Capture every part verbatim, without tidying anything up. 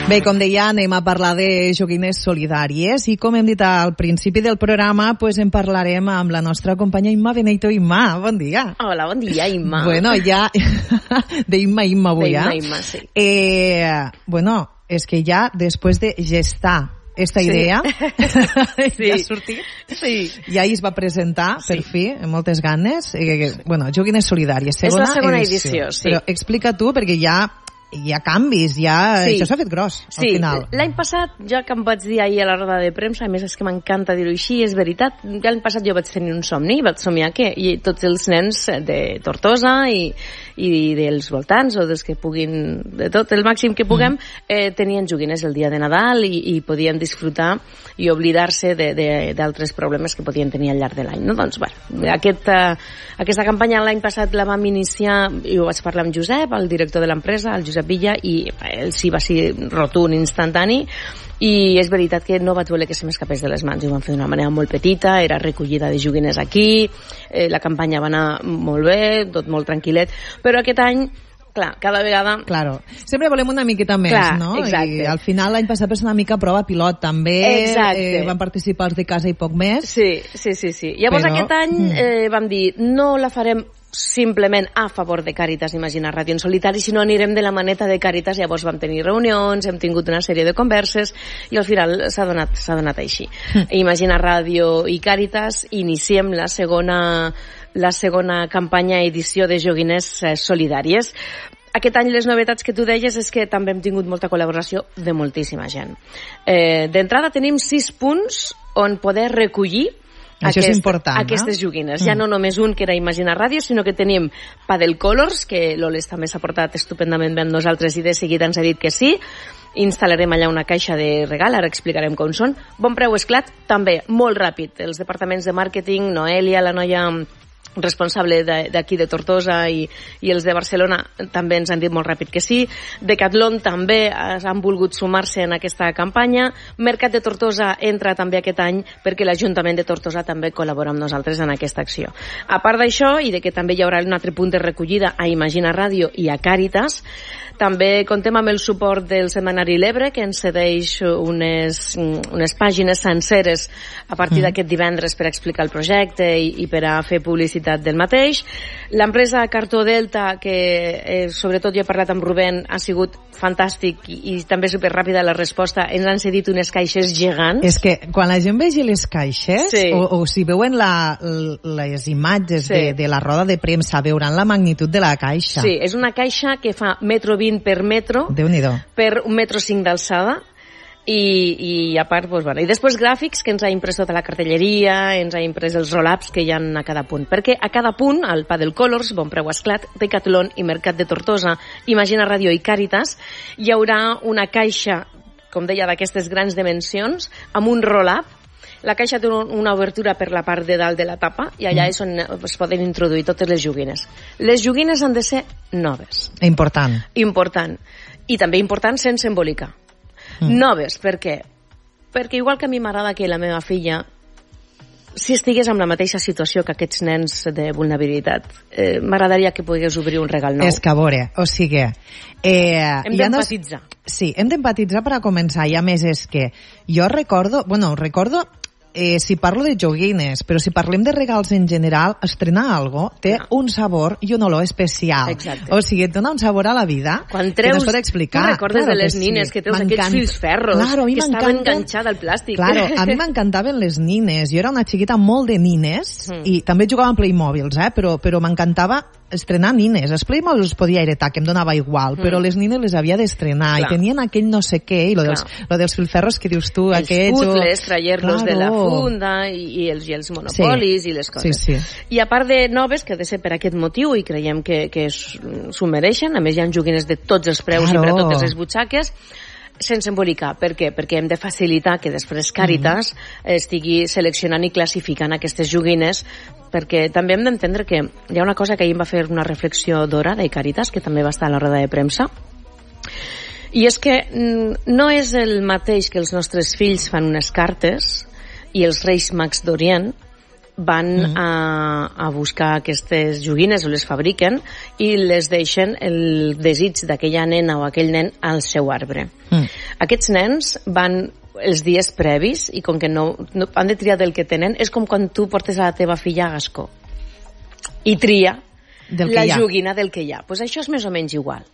Bé, com deia, anem a parlar de joguines solidàries i com hem dit al principi del programa, pues en parlarem amb la nostra companya Imma Benito. Imma, bon dia. Hola, bon dia, Imma. Bueno, ja... de Imma, Imma avui, eh? De Imma, Imma, sí. Eh, bueno, és que ja després de gestar esta idea, sí. ja ha sortit, sí. ja es va presentar, sí. per fi, amb moltes ganes. Eh, bueno, joguines solidàries, segona, és la segona edició. edició, sí. Però explica tu, perquè ja... hi ha canvis, ja... Sí. Això s'ha fet gros, al sí. final. Sí, l'any passat, ja que em vaig dir ahir a la roda de premsa, a més és que m'encanta dir-ho així, és veritat, ja l'any passat jo vaig tenir un somni, vaig somiar que i tots els nens de Tortosa i, i dels voltants, o dels que puguin, de tot, el màxim que puguem, mm. eh, tenien joguines el dia de Nadal i, i podien disfrutar i oblidar-se d'altres problemes que podien tenir al llarg de l'any. No? Doncs, bueno, aquest, uh, aquesta campanya l'any passat la vam iniciar, i ho vaig parlar amb Josep, el director de l'empresa, el Josep Villa, i ell sí va ser rotund, instantani, i és veritat que no vaig voler que se m'escapés de les mans. Ho vam fer d'una manera molt petita, era recollida de joguines aquí, eh, la campanya va anar molt bé, tot molt tranquil·let, però aquest any clar, cada vegada... Claro. Sempre volem una miqueta més, clar, no? Exacte. I al final l'any passat va ser una mica prova pilot, també. Exacte. Eh, van participar els de casa i poc més. Sí, sí, sí. sí. Llavors però... aquest any eh, vam dir, no la farem simplement a favor de Càritas Imagina Ràdio en solitari, sinó anirem de la maneta de Càritas. Llavors vam tenir reunions, hem tingut una sèrie de converses i al final s'ha donat, s'ha donat així. Mm. Imagina Ràdio i Càritas iniciem la segona, la segona campanya edició de joguines eh, solidàries. Aquest any les novetats que tu deies és que també hem tingut molta col·laboració de moltíssima gent. Eh, D'entrada tenim sis punts on poder recollir Això Aquest, és important, aquestes no? joguines. Mm. Ja no només un, que era Imagina Ràdio, sinó que tenim Padel Colors, que l'Oles també s'ha portat estupendament bé amb nosaltres i de seguida ens ha dit que sí. Instal·larem allà una caixa de regal, ara explicarem com són. Bon preu esclat, també, molt ràpid. Els departaments de màrqueting, Noelia, la noia responsable d'aquí de, de Tortosa i, i els de Barcelona també ens han dit molt ràpid que sí. Decathlon també han volgut sumar-se en aquesta campanya. Mercat de Tortosa entra també aquest any perquè l'Ajuntament de Tortosa també col·labora amb nosaltres en aquesta acció. A part d'això, i de que també hi haurà un altre punt de recollida a Imagina Ràdio i a Càritas, també contem amb el suport del setmanari L'Ebre, que ens cedeix unes, unes pàgines senceres a partir mm. d'aquest divendres per explicar el projecte i, i per a fer publicitat del mateix. L'empresa Cartó Delta, que eh, sobretot jo he parlat amb Rubén, ha sigut fantàstic i, i també superràpida la resposta. Ens han cedit unes caixes gegants. És que quan la gent vegi les caixes, sí. o, o si veuen la, les imatges sí. de, de la roda de premsa, veuran la magnitud de la caixa. Sí, és una caixa que fa metro vint per metro, Déu-n'hi-do. per un metro cinc d'alçada. I, i a part, doncs, bueno, i després gràfics que ens ha imprès tota la cartelleria, ens ha imprès els roll-ups que hi ha a cada punt, perquè a cada punt, al Padel Colors, Bon Preu Esclat, Decathlon i Mercat de Tortosa, Imagina Ràdio i Càritas, hi haurà una caixa, com deia, d'aquestes grans dimensions, amb un roll-up. La caixa té una obertura per la part de dalt de la tapa i allà mm. és on es poden introduir totes les joguines. Les joguines han de ser noves. Important. Important. I també important sense embolicar. Mm. Noves, per què? Perquè igual que a mi m'agrada que la meva filla, si estigués en la mateixa situació que aquests nens de vulnerabilitat, eh, m'agradaria que pogués obrir un regal nou. És que a veure, o sigui... Eh, hem d'empatitzar. No... Sí, hem d'empatitzar per a començar, i a més és que jo recordo, bueno, recordo... Eh, si parlo de joguines, però si parlem de regals en general, estrenar algo té no. un sabor i un olor especial. Exacte. O sigui, et dona un sabor a la vida quan treus, que no es pot explicar. Tu recordes claro de les nines sí. que treus aquests fils ferros claro, que estaven enganxats al plàstic. Claro, a mi m'encantaven les nines. Jo era una xiquita molt de nines mm. i també jugava amb Playmobils, eh? però, però m'encantava estrenar nines. Els Playmobil els podia heretar, que em donava igual, mm. però les nines les havia d'estrenar i tenien aquell no sé què, i lo dels, lo dels filferros que dius tu, els aquests... Els puzzles, o... trayer-los claro. de la funda i, i, els, i els monopolis sí. i les coses. Sí, sí. I a part de noves, que ha de ser per aquest motiu, i creiem que, que s'ho mereixen, a més hi ha joguines de tots els preus claro. i per a totes les butxaques, sense embolicar. Per què? Perquè hem de facilitar que després Càritas mm. estigui seleccionant i classificant aquestes joguines, perquè també hem d'entendre que hi ha una cosa que ahir em va fer una reflexió d'Hora de Càritas, que també va estar a la roda de premsa, i és que no és el mateix que els nostres fills fan unes cartes i els Reis Mags d'Orient van mm. a, a buscar aquestes joguines o les fabriquen i les deixen el desig d'aquella nena o aquell nen al seu arbre. Mm. Aquests nens van els dies previs i com que no, no han de triar del que tenen, és com quan tu portes a la teva filla a Gascó i tria del la joguina del que hi ha. Pues això és més o menys igual.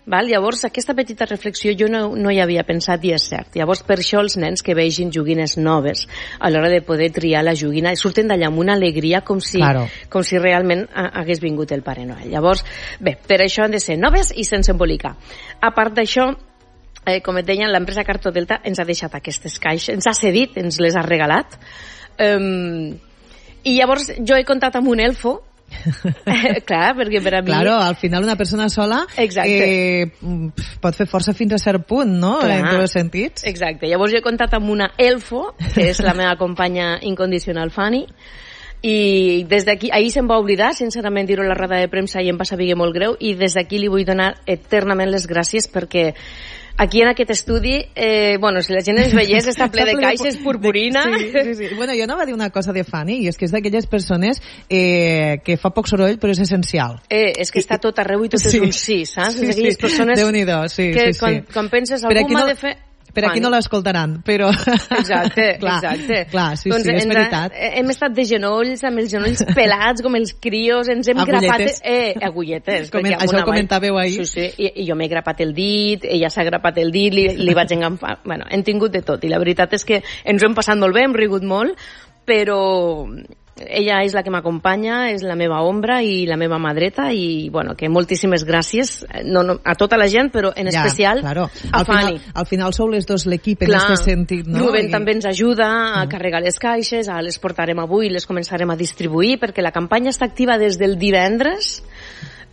Val? Llavors, aquesta petita reflexió jo no, no hi havia pensat i és cert. Llavors, per això els nens que vegin joguines noves a l'hora de poder triar la joguina surten d'allà amb una alegria com si, claro. com si realment hagués vingut el Pare Noel. Llavors, bé, per això han de ser noves i sense embolicar. A part d'això, eh, com et deia, l'empresa Carto Delta ens ha deixat aquestes caixes, ens ha cedit, ens les ha regalat. Um, I llavors jo he comptat amb un elfo. eh, clar, perquè per a mi... Claro, al final una persona sola eh, pot fer força fins a cert punt, no? Clar. En tots els sentits. Exacte. Llavors jo he comptat amb una elfo, que és la meva companya incondicional Fanny, i des d'aquí, ahir se'm va oblidar, sincerament, dir-ho a la roda de premsa i em va saber molt greu, i des d'aquí li vull donar eternament les gràcies perquè aquí en aquest estudi, eh, bueno, si la gent ens veiés, està ple de caixes, purpurina... Sí, sí, sí. Bueno, jo no va dir una cosa de Fanny, i és que és d'aquelles persones eh, que fa poc soroll, però és essencial. Eh, és que està tot arreu i tot sí. És un sí, saps? Sí, és d'aquelles sí. persones Déu-n'hi-do, sí, que sí, sí. Quan, quan penses algú m'ha no... de fer... Per aquí no l'escoltaran, però... Exacte, clar, exacte. Clar, sí, doncs sí, és veritat. Ha, hem estat de genolls, amb els genolls pelats, com els crios, ens hem agulletes. grapat... Eh, agulletes. Coment, això ho comentàveu ahir. Sí, sí, i, i jo m'he grapat el dit, ella s'ha grapat el dit, li, li vaig enganfar... Bueno, hem tingut de tot, i la veritat és que ens ho hem passat molt bé, hem rigut molt, però... ella és la que m'acompanya, és la meva ombra i la meva mà dreta, i bueno, que moltíssimes gràcies no, no, a tota la gent, però en ja, especial claro. a al Fanny. Final, al final sou les dos l'equip en aquest sentit, no? Rubén I... també ens ajuda a mm. carregar les caixes, a les portarem avui, les començarem a distribuir, perquè la campanya està activa des del divendres,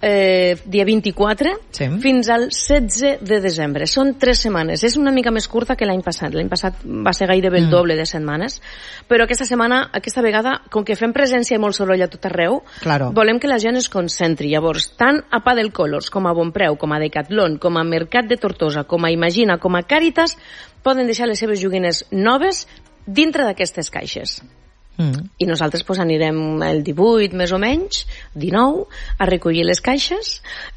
eh, dia vint-i-quatre, sí. fins al setze de desembre. Són tres setmanes. És una mica més curta que l'any passat. L'any passat va ser gairebé el mm. doble de setmanes, però aquesta setmana, aquesta vegada, com que fem presència i molt soroll a tot arreu, claro. volem que la gent es concentri. Llavors, tant a Pa del Colors, com a Bonpreu, com a Decathlon, com a Mercat de Tortosa, com a Imagina, com a Càritas, poden deixar les seves joguines noves dintre d'aquestes caixes. Mm. I nosaltres pues, anirem el divuit més o menys, dinou, a recollir les caixes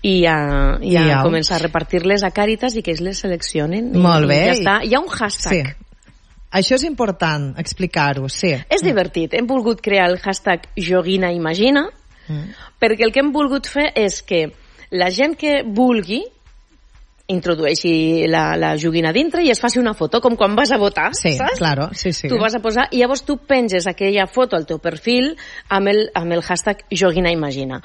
i a, i a I començar a repartir-les a Càritas i que ells les seleccionen. Molt bé. I ja està. Hi ha un hashtag. Sí. Això és important, explicar-ho, sí. És divertit. Hem volgut crear el hashtag Joguina Imagina mm. perquè el que hem volgut fer és que la gent que vulgui introdueixi la, la joguina dintre i es faci una foto, com quan vas a votar, sí, saps? Claro, sí, sí. Tu vas a posar, i llavors tu penges aquella foto al teu perfil amb el, amb el hashtag Joguina Imagina.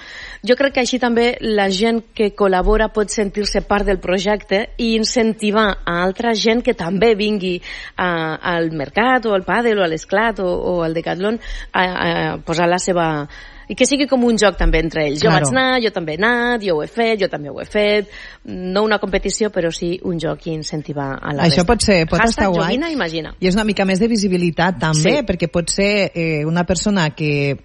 Jo crec que així també la gent que col·labora pot sentir-se part del projecte i incentivar a altra gent que també vingui a, al mercat o al pàdel o a l'esclat o, o al Decathlon a, a posar la seva... i que sigui com un joc també entre ells. Jo claro. vaig anar, jo també he anat, jo ho he fet, jo també ho he fet. No una competició, però sí un joc i incentivar a la Això resta. pot ser, pot Hashtag estar guai. Joguina Imagina. I és una mica més de visibilitat també, sí. perquè pot ser eh, una persona que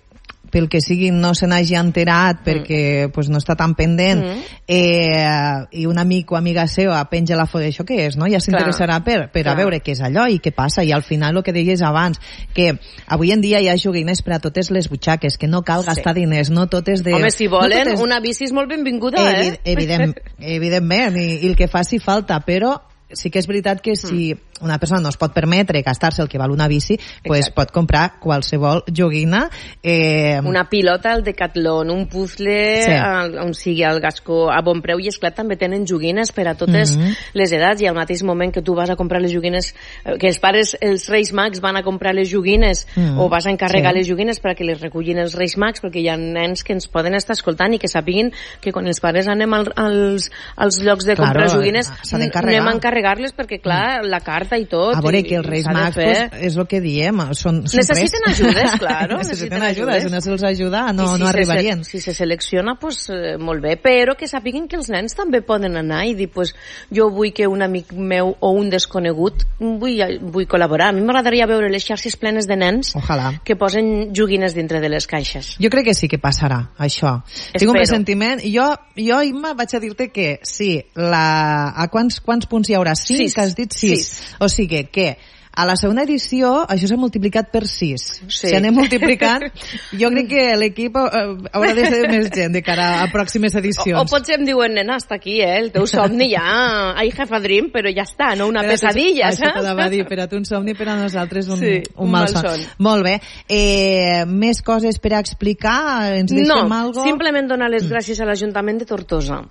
pel que sigui no se n'hagi enterat perquè mm. pues, no està tan pendent mm. eh, i un amic o amiga seva penja la foto, això què és, no? Ja s'interessarà per, per a veure què és allò i què passa, i al final el que deies abans, que avui en dia hi ha joguines per a totes les butxaques, que no cal sí. gastar diners, no totes de... Home, si volen, no totes... una bici és molt benvinguda, Evi eh? Evident, evidentment, i, i el que faci falta, però sí que és veritat que si una persona no es pot permetre gastar-se el que val una bici, pues pot comprar qualsevol joguina. Eh... Una pilota al Decathlon, un puzzle sí. al, on sigui al Gascó, a Bonpreu, i esclar també tenen joguines per a totes mm-hmm. les edats, i al mateix moment que tu vas a comprar les joguines, que els pares, els Reis Mags van a comprar les joguines mm-hmm. o vas a encarregar sí. les joguines perquè les recullin els Reis Mags, perquè hi ha nens que ens poden estar escoltant i que sàpiguin que quan els pares anem al, als, als llocs de comprar claro, joguines anem a encarregar-les perquè clar, mm. la carta i tot. A veure, que els Reis Mags pues, és el que diem, són, són necessiten res. ajudes, claro. necessiten ajuda, si no se'ls ajuda no, si no arribarien. Se, si se selecciona, pues eh, molt bé, però que sàpiguen que els nens també poden anar i dir, pues, jo vull que un amic meu o un desconegut vull, vull col·laborar. A mi m'agradaria veure les xarxes plenes de nens Ojalà. que posen joguines dintre de les caixes. Jo crec que sí que passarà, això. Espero. Tinc un pressentiment. Jo, jo Imma, vaig a dir-te que sí, la... a quants, quants punts hi haurà? Cinc, sis. Que has dit? Sis. Sis. O sigui que A la segona edició això s'ha multiplicat per sis. Sí. Si anem multiplicant, jo crec que l'equip eh, haurà de ser més gent de cara a pròximes edicions. O, o potser em diuen, nena, hasta aquí, eh? El teu somni ja, I have a dream, però ja està, no una per pesadilla, tu, saps? Això t'anava a dir, per a tu un somni, per a nosaltres un, sí, un, un mal son. son. Molt bé. Eh, més coses per a explicar? Ens deixem no, algo? No, simplement donar les gràcies a l'Ajuntament de Tortosa,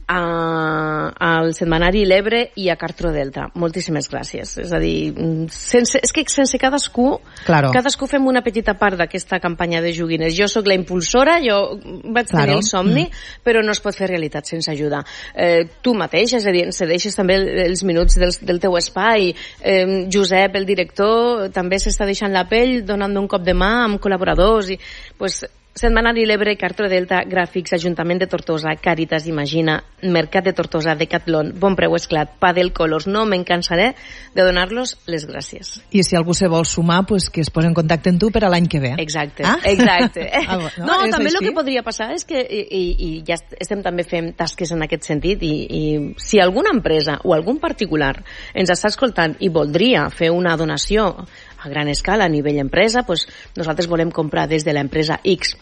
a, al setmanari L'Ebre i a Cartro Delta. Moltíssimes gràcies. És a dir, sense, és que sense cadascú, claro. cadascú fem una petita part d'aquesta campanya de joguines. Jo sóc la impulsora, jo vaig claro. tenir el somni, mm. però no es pot fer realitat sense ajuda. Eh, tu mateix, és a dir, cedeixes també els minuts del, del teu espai. Eh, Josep, el director, també s'està deixant la pell, donant un cop de mà amb col·laboradors i... Pues, Setmanari L'Ebre, Cartro Delta, Gràfics, Ajuntament de Tortosa, Càritas, Imagina, Mercat de Tortosa, Decathlon, Bon Preu Esclat, Padel Colors. No me'n cansaré de donar-los les gràcies. I si algú se vol sumar, pues que es posi en contacte amb tu per a l'any que ve. Exacte, ah? exacte. Ah, no, no també així? El que podria passar és que, i, i, i ja estem també fent tasques en aquest sentit, i, i si alguna empresa o algun particular ens està escoltant i voldria fer una donació a gran escala, a nivell empresa, pues nosaltres volem comprar des de l'empresa X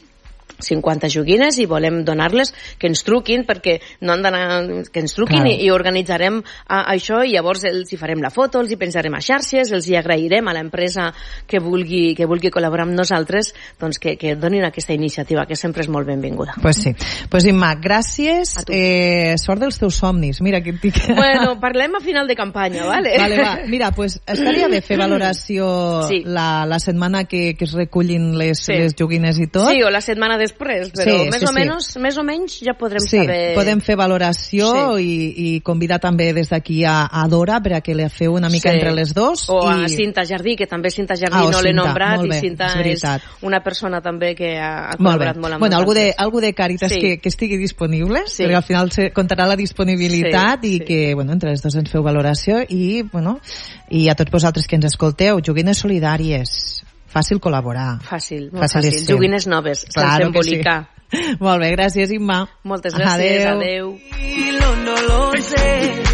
cinquanta joguines i volem donar-les, que ens truquin, perquè no han d'anar, que ens truquin claro. i, i organitzarem a, a això, i llavors els hi farem la foto, els hi penjarem a xarxes, els hi agrairem a l'empresa que vulgui, que vulgui col·laborar amb nosaltres, doncs que, que donin aquesta iniciativa, que sempre és molt benvinguda. Pues sí. Pues Imma, gràcies, eh, sort dels teus somnis. Mira, que tic... Bueno, parlem a final de campanya, vale? Vale, va. Mira, pues estaria bé fer valoració sí. la, la setmana que, que es recullin les, sí. les joguines i tot. Sí, o la setmana de després, però sí, més, sí, o menys, sí. més o menys ja podrem sí, saber... podem fer valoració sí. i, i convidar també des d'aquí a, a Dora per a que la feu una mica sí. entre les dos. O i... a Cinta Jardí, que també Cinta Jardí ah, no l'he nombrat, bé, i Cinta és, és una persona també que ha, ha col·laborat molt, molt amb bueno, nosaltres. Algú de, algú de Càritas sí. que, que estigui disponible, sí. perquè al final se comptarà la disponibilitat sí, i sí. que bueno, entre les dues ens feu valoració i, bueno, i a tots vosaltres que ens escolteu, joguines solidàries. Fàcil col·laborar. Fàcil, molt fàcil. fàcil. Joguines noves, claro sense embolicar. Sí. Molt bé, gràcies, Imma. Moltes gràcies, adeu. adeu.